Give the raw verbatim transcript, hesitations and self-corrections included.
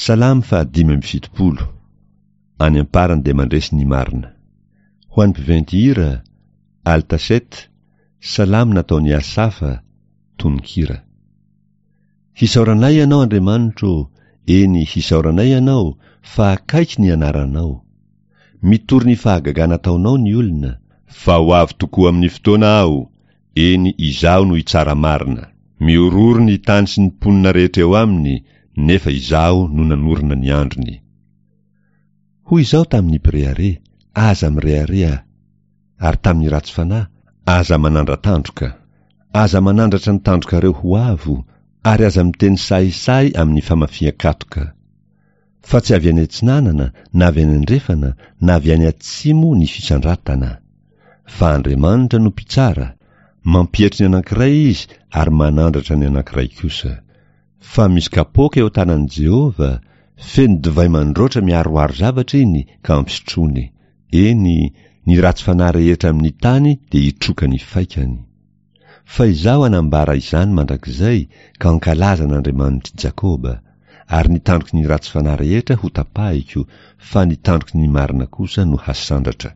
Salamo fahadimy amby fitopolo. Any am-parany dia mandresy ny marina. Ho an'ny mpiventy hira, Altaset, Salamo nataon'i Asafa, tononkira. Hisaoranay Ianao, Andriamanitro ô, eny, hisaoranay Ianao, fa akaiky ny anaranao. Mitory ny fahagagana ataonao ny olona. Fa ho avy tokoa amin'ny fotoana aho, eny, izaho no hitsara marina. Mihorohoro ny tany sy ny mponina rehetra eo aminy, nefa izaho no nanorina ny androny. Hoy izaho tamin'ny mpirehareha, Aza mirehareha, ary tamin'ny ratsy fanahy, Aza manandra-tandroka. Aza manandratra ny tandrokareo ho avo, ary aza miteny sahisahy amin'ny famafian-katoka. Fa tsy avy any atsinanana, na avy any andrefana, na avy any atsimo ny fisandratana. Fa Andriamanitra no mpitsara, mampietry ny anankiray izy ary manandratra ny anankiray kosa. Fa misy kapoaka eo an-tanan'i Jehovah, feno divay mandroatra miharoharo zavatra iny ka ampisotroiny. Eny, ny ratsy fanahy rehetra amin'ny tany dia hitroka ny faikany. Fa izaho hanambara izany mandrakizay ka hankalaza an'Andriamanitr'i Jakoba, ary ny tandroky ny ratsy fanahy rehetra hotapahiko, fa ny tandroky ny marina kosa no hasandratra.